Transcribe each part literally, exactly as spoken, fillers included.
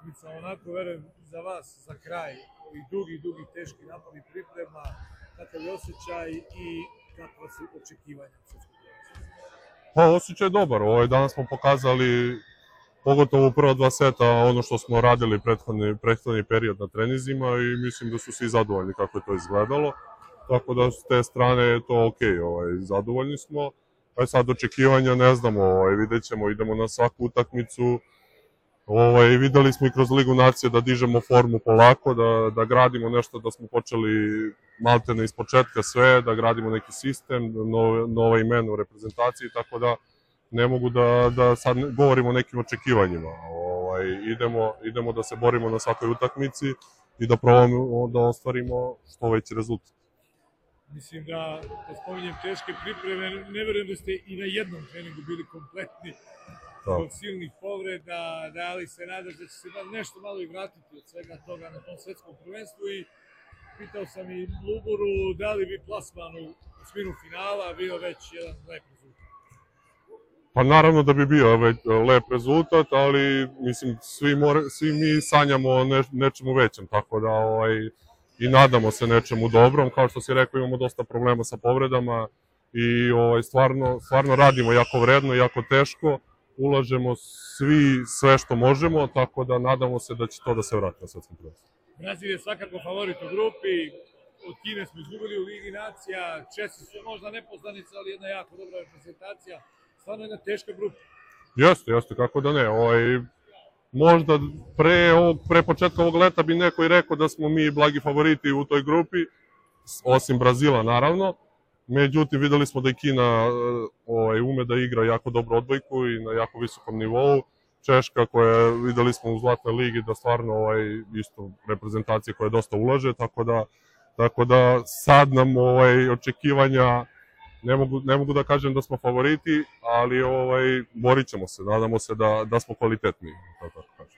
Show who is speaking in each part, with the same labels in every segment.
Speaker 1: utakmica, onako verujem za vas, za kraj, ovih dugi, dugi, teški napori priprema, kakav je osjećaj i kakva su očekivanja?
Speaker 2: Pa, osjećaj je dobar. Ovaj, danas smo pokazali, pogotovo u prva dva seta, ono što smo radili prethodni, prethodni period na trenizima i mislim da su svi zadovoljni kako je to izgledalo. Tako da s te strane je to okej, ovaj, zadovoljni smo. Pa sad očekivanja ne znamo, ovaj, vidjet ćemo, idemo na svaku utakmicu. Ovaj, videli smo i kroz Ligu nacija da dižemo formu polako, da, da gradimo nešto, da smo počeli maltene iz početka sve, da gradimo neki sistem, nove, nove imena u reprezentaciji, tako da ne mogu da, da sad govorimo o nekim očekivanjima. Ovaj, idemo, idemo da se borimo na svakoj utakmici i da probamo da ostvarimo što veći rezultat.
Speaker 1: Mislim da, da spominjem teške pripreme, ne verujem da ste i na jednom treningu bili kompletni od silnih povreda, da li se nadaš da će se nešto malo i vratiti od svega toga na tom svetskom prvenstvu i pitao sam i Luburu da li bi plasman u osminu finala bio već jedan lep rezultat.
Speaker 2: Pa naravno da bi bio već lep rezultat, ali mislim svi, more, svi mi sanjamo o ne, nečemu većem, tako da ovaj, i nadamo se nečemu dobrom. Kao što si rekao, imamo dosta problema sa povredama i ovaj, stvarno, stvarno radimo jako vredno, jako teško. Ulažemo svi sve što možemo, tako da nadamo se da će to da se vrati na svetskom prvenstvu.
Speaker 1: Brazil je svakako favorit u grupi, od Kine smo izgubili u Ligi nacija, Česi su možda nepoznanica, ali jedna jako dobra reprezentacija, stvarno jedna teška grupa.
Speaker 2: Jeste, jeste, kako da ne. Ovaj, možda pre, ovog, pre početka ovog leta bi neko i rekao da smo mi blagi favoriti u toj grupi, osim Brazila naravno. Međutim, videli smo da i Kina ovaj, ume da igra jako dobro odbojku i na jako visokom nivou. Češka koja videli smo u Zlatnoj ligi da stvarno ovaj, isto reprezentacija koja dosta ulaže, tako da, tako da sad nam ovaj, očekivanja, ne mogu, ne mogu da kažem da smo favoriti, ali ovaj, borit ćemo se, nadamo se da, da smo kvalitetni. Tako kažem.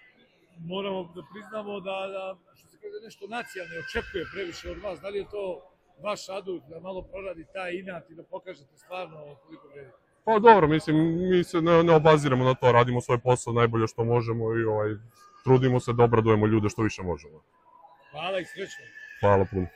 Speaker 1: Moramo da priznamo da, da što se kaže, nešto nacija ne očekuje previše od vas, da li je to vaš adut da malo proradi taj inat i da pokažete stvarno koliko vredite?
Speaker 2: Pa dobro, mislim, mi se ne, ne obaziramo na to, radimo svoj posao najbolje što možemo i ovaj, trudimo se da obradujemo ljude što više možemo.
Speaker 1: Hvala i srećno.
Speaker 2: Hvala puno.